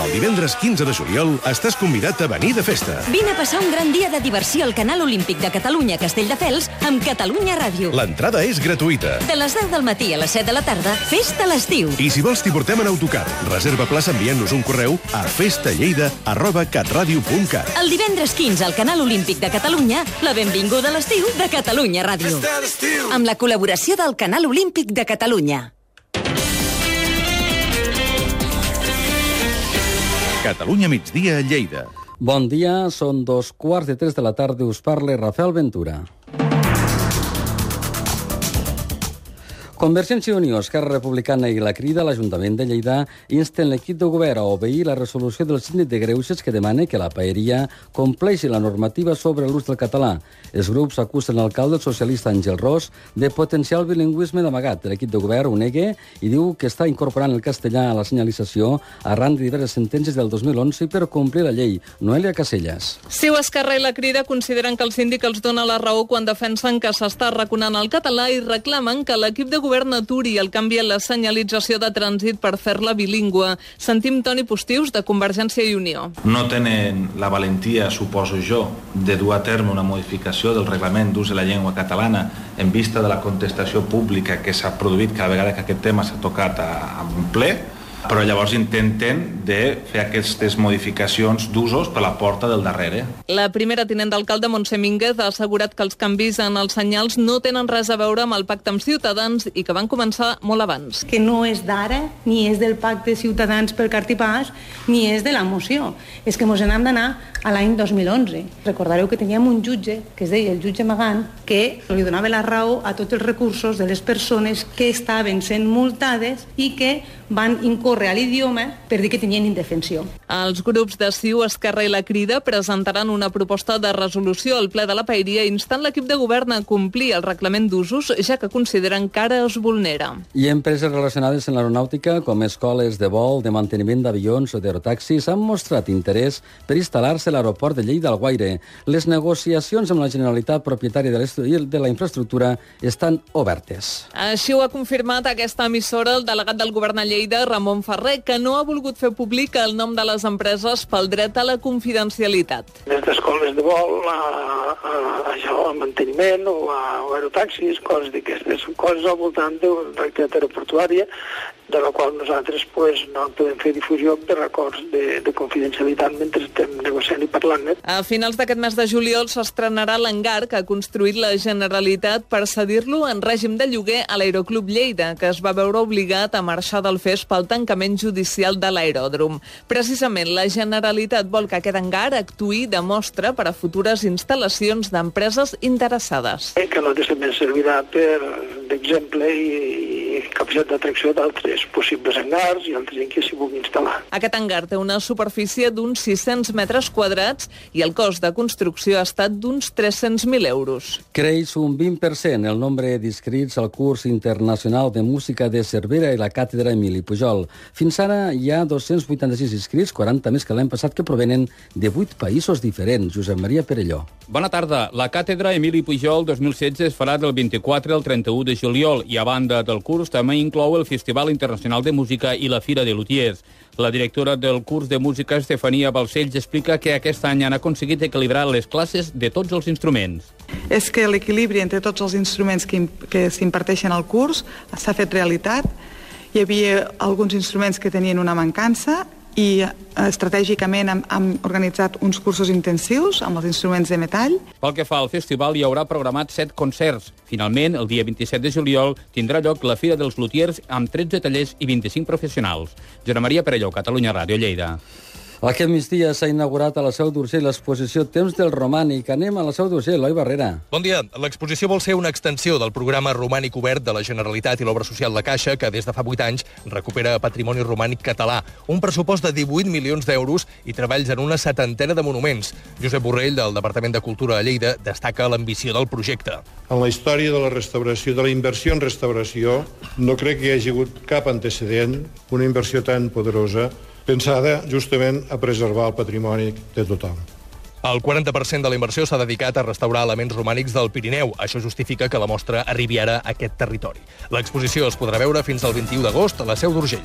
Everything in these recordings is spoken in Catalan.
El divendres 15 de juliol estàs convidat a venir de festa. Vine a passar un gran dia de diversió al Canal Olímpic de Catalunya Castelldefels amb Catalunya Ràdio. L'entrada és gratuïta. De les 10 del matí a les 7 de la tarda, festa a l'estiu. I si vols t'hi portem en autocar. Reserva plaça enviant-nos un correu a festalleida@catradio.cat. El divendres 15 al Canal Olímpic de Catalunya, la benvinguda a l'estiu de Catalunya Ràdio. Amb la col·laboració del Canal Olímpic de Catalunya. Catalunya migdia a Lleida. Bon dia, són 2:15 de la tarda, us parla Rafael Ventura. Convergència i Unió, Esquerra Republicana i la Crida a l'Ajuntament de Lleida insten l'equip de govern a obeir la resolució del síndic de Greuges que demana que la paeria compleixi la normativa sobre l'ús del català. Els grups acusen l'alcalde socialista Àngel Ros de potenciar el bilingüisme d'amagat. L'equip de govern ho nega i diu que està incorporant el castellà a la senyalització arran de diverses sentències del 2011 per complir la llei. Noelia Casellas. CiU, Esquerra i la Crida consideren que el síndic els dona la raó quan defensen que s'està arraconant el català i reclamen que l'equip de govern aturi el canvi en la senyalització de trànsit per fer-la bilingüe. Sentim Toni Postius, de Convergència i Unió. No tenen la valentia, suposo jo, de dur a terme una modificació del reglament d'ús de la llengua catalana en vista de la contestació pública que s'ha produït cada vegada que aquest tema s'ha tocat en ple, però llavors intenten de fer aquestes modificacions d'usos per la porta del darrere. La primera tinent d'alcalde, Montse Mínguez, ha assegurat que els canvis en els senyals no tenen res a veure amb el pacte amb Ciutadans i que van començar molt abans. Que no és d'ara, ni és del pacte Ciutadans pel cartipàs, ni és de la moció. És que ens n'hem d'anar a l'any 2011. Recordareu que teníem un jutge, que es deia el jutge Magant, que li donava la raó a tots els recursos de les persones que estaven sent multades i que van incórrer a l'idioma per dir que tenien indefensió. Els grups de CiU, Esquerra i la Crida presentaran una proposta de resolució al ple de la paeria instant l'equip de govern a complir el reglament d'usos, ja que consideren que ara es vulnera. I empreses relacionades amb l'aeronàutica, com escoles de vol, de manteniment d'avions o d'aerotaxis, han mostrat interès per instal·lar-se a l'aeroport de Lleida Alguaire. Les negociacions amb la Generalitat propietària de la infraestructura estan obertes. Així ho ha confirmat aquesta emissora el delegat del govern a Lleida, Ramon Ferrer, que no ha volgut fer públic el nom de les empreses pel dret a la confidencialitat. Des d'escoles de vol a manteniment o a aerotaxis, coses d'aquestes, coses al voltant d'una activitat aeroportuària, de la qual nosaltres no podem fer difusió per acords de confidencialitat mentre estem negociant i parlant. A finals d'aquest mes de juliol s'estrenarà l'hangar que ha construït la Generalitat per cedir-lo en règim de lloguer a l'Aeroclub Lleida, que es va veure obligat a marxar del FES pel tancament judicial de l'aeròdrom. Precisament, la Generalitat vol que aquest hangar actuï de mostra per a futures instal·lacions d'empreses interessades. Que no també servirà d'exemple i capacitat d'atracció d'altres possibles hangars i altres en què s'hi vulgui instal·lar. Aquest hangar té una superfície d'uns 600 metres quadrats i el cost de construcció ha estat d'uns 300.000 euros. Creix un 20% el nombre d'inscrits al curs internacional de música de Cervera i la càtedra Emili Pujol. Fins ara hi ha 286 inscrits, 40 més que l'any passat, que provenen de 8 països diferents. Josep Maria Perelló. Bona tarda. La càtedra Emili Pujol 2016 es farà del 24 al 31 de juliol i a banda del curs també inclou el Festival Internacional de Música i la Fira de Lutiers. La directora del curs de música, Estefania Balcells, explica que aquest any han aconseguit equilibrar les classes de tots els instruments. És que l'equilibri entre tots els instruments que s'imparteixen al curs s'ha fet realitat. Hi havia alguns instruments que tenien una mancança i estratègicament hem organitzat uns cursos intensius amb els instruments de metall. Pel que fa al festival, hi haurà programat 7 concerts. Finalment, el dia 27 de juliol, tindrà lloc la Fira dels Lutiers amb 13 tallers i 25 professionals. Josep Maria Perelló, Catalunya Ràdio, Lleida. Aquest migdia s'ha inaugurat a la Seu d'Urgell l'exposició Temps del Romànic. Anem a la Seu d'Urgell, Eloi Barrera. Bon dia. L'exposició vol ser una extensió del programa romànic obert de la Generalitat i l'Obra Social de Caixa, que des de fa 8 anys recupera patrimoni romànic català. Un pressupost de 18 milions d'euros i treballs en una 70ena de monuments. Josep Borrell, del Departament de Cultura de Lleida, destaca l'ambició del projecte. En la història de la restauració, de la inversió en restauració, no crec que hi hagi hagut cap antecedent, una inversió tan poderosa, pensada justament a preservar el patrimoni de tothom. El 40% de la inversió s'ha dedicat a restaurar elements romànics del Pirineu. Això justifica que la mostra arribi ara a aquest territori. L'exposició es podrà veure fins al 21 d'agost a la Seu d'Urgell.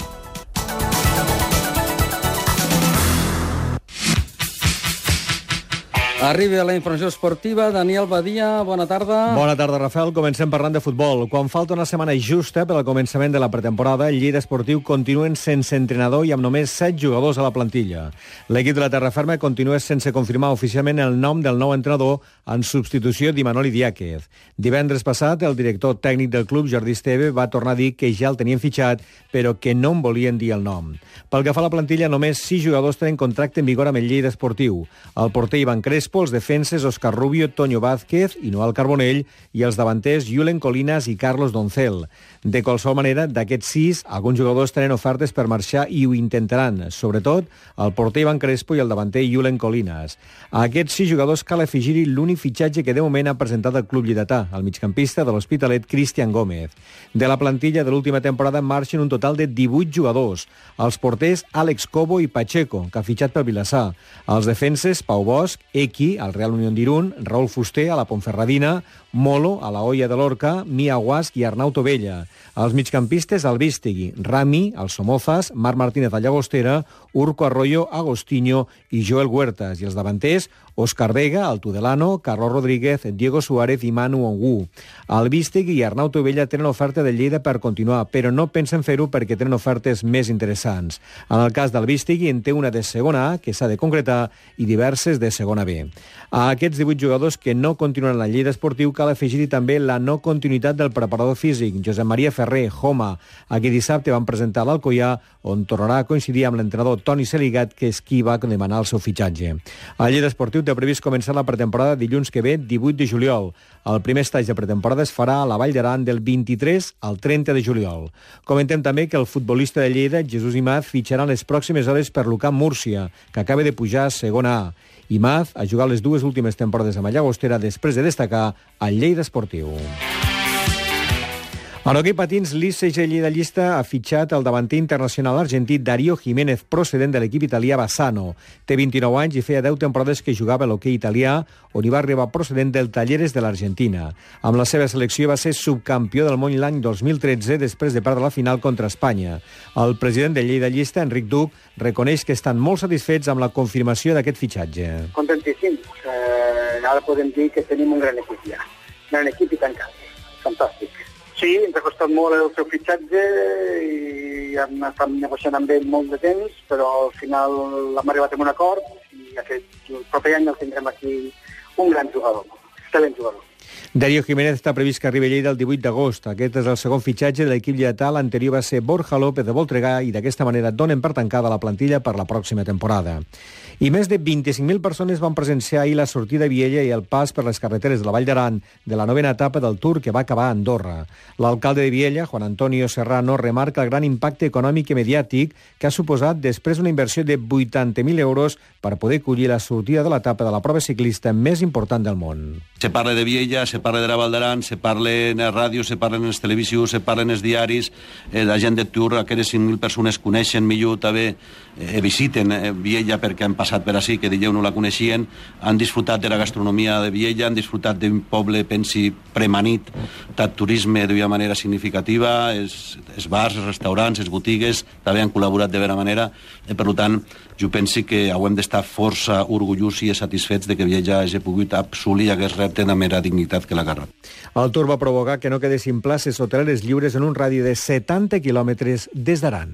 Arriba la informació esportiva. Daniel Badia, bona tarda. Bona tarda, Rafael. Comencem parlant de futbol. Quan falta una setmana justa per al començament de la pretemporada, el Lleida Esportiu continuen sense entrenador i amb només 7 jugadors a la plantilla. L'equip de la Terraferma continua sense confirmar oficialment el nom del nou entrenador en substitució d'Imanol Idiáquez. Divendres passat, el director tècnic del club, Jordi Esteve, va tornar a dir que ja el tenien fitxat, però que no en volien dir el nom. Pel que fa a la plantilla, només 6 jugadors tenen contracte en vigor amb el Lleida Esportiu. El porter Ivan Crespo, els defenses Òscar Rubio, Toño Vázquez i Noel Carbonell, i els davanters Julen Colinas i Carlos Doncel. De qualsevol manera, d'aquests 6, alguns jugadors tenen ofertes per marxar i ho intentaran, sobretot el porter Ivan Crespo i el davanter Julen Colinas. A aquests 6 jugadors cal afegir-hi l'únic fitxatge que de moment ha presentat el club lleidatà, el migcampista de l'Hospitalet Cristian Gómez. De la plantilla de l'última temporada marxen un total de 18 jugadors. Els porters Àlex Cobo i Pacheco, que ha fitxat pel Vilassar. Els defenses Pau Bosch, Eki, al Real Unión d'Irún, Raúl Fuster, a la Ponferradina, Molo, a la Hoya de Lorca, Mia Guasc i Arnau Tovella. Els migcampistes Albistegui, Rami, al Somozas, Marc Martínez a Llagostera, Urco Arroyo, Agostinho i Joel Huertas. I els davanters, Òscar Vega, al Tudelano, Carlos Rodríguez, Diego Suárez i Manu Ongu. Albistegui i Arnau Tovella tenen oferta de Lleida per continuar, però no pensen fer-ho perquè tenen ofertes més interessants. En el cas d'Albistegui en té una de segona A, que s'ha de concretar, i diverses de segona B. A aquests 18 jugadors que no continuen a la Lleida Esportiu cal afegir-hi també la no continuïtat del preparador físic, Josep Maria Ferrer, Joma. Aquí dissabte van presentar l'Alcoià, on tornarà a coincidir amb l'entrenador Toni Seligat, que és qui va demanar el seu fitxatge. El Lleida Esportiu té previst començar la pretemporada dilluns que ve, 18 de juliol. El primer estatge de pretemporada es farà a la Vall d'Aran del 23 al 30 de juliol. Comentem també que el futbolista de Lleida, Jesús Imaz, fitxarà en les pròximes hores per l'UCAM Múrcia, que acaba de pujar a segona A. Imaz ha jugat les 2 últimes temporades amb la Llagostera després de destacar al Lleida Esportiu. En hoquei patins, l'ICG Lleida-Llista ha fitxat el davanter internacional argentí Darío Jiménez, procedent de l'equip italià Bassano. Té 29 anys i feia 10 temporades que jugava a l'hoquei italià, on hi va arribar procedent del Talleres de l'Argentina. Amb la seva selecció va ser subcampió del món l'any 2013 després de perdre la final contra Espanya. El president de Lleida-Llista, Enric Duc, reconeix que estan molt satisfets amb la confirmació d'aquest fitxatge. Contentíssims. Ara podem dir que tenim un gran equip ja. Un gran equip i tancat. Fantàstic. Sí, ens ha costat molt el seu fitxatge i hem estat negociant amb ell molt de temps, però al final hem arribat a un acord i el proper any el tindrem aquí un gran jugador, excel·lent jugador. Darío Jiménez està previst que arribi a Lleida el 18 d'agost. Aquest és el segon fitxatge de l'equip lleidatà. L'anterior va ser Borja López de Voltregà i d'aquesta manera donen per tancada la plantilla per la pròxima temporada. I més de 25.000 persones van presenciar ahir la sortida a Viella i el pas per les carreteres de la Vall d'Aran de la 9a etapa del Tour que va acabar a Andorra. L'alcalde de Viella, Juan Antonio Serrano, remarca el gran impacte econòmic i mediàtic que ha suposat després una inversió de 80.000 euros per poder collir la sortida de l'etapa de la prova ciclista més important del món. Se parla de Viella, se parla de la Vall d'Aran, se parla en les ràdios, se parla en les televisions, se parla en els diaris, la gent de Tour, aquelles 5.000 persones coneixen millor també, visiten Viella perquè han passat per ací, que dilluns no la coneixien, han disfrutat de la gastronomia de Viella, han disfrutat d'un poble, pensi, premanit, de turisme d'una manera significativa, els bars, els restaurants, les botigues, també han col·laborat de bona manera, per tant, jo penso que hem d'estar força orgullosos i satisfets de que Viella hagi pogut assolir aquest repte de mera dignitat que l'ha agarrat. El Tour va provocar que no quedessin places hoteleres lliures en un radi de 70 quilòmetres des d'Aran.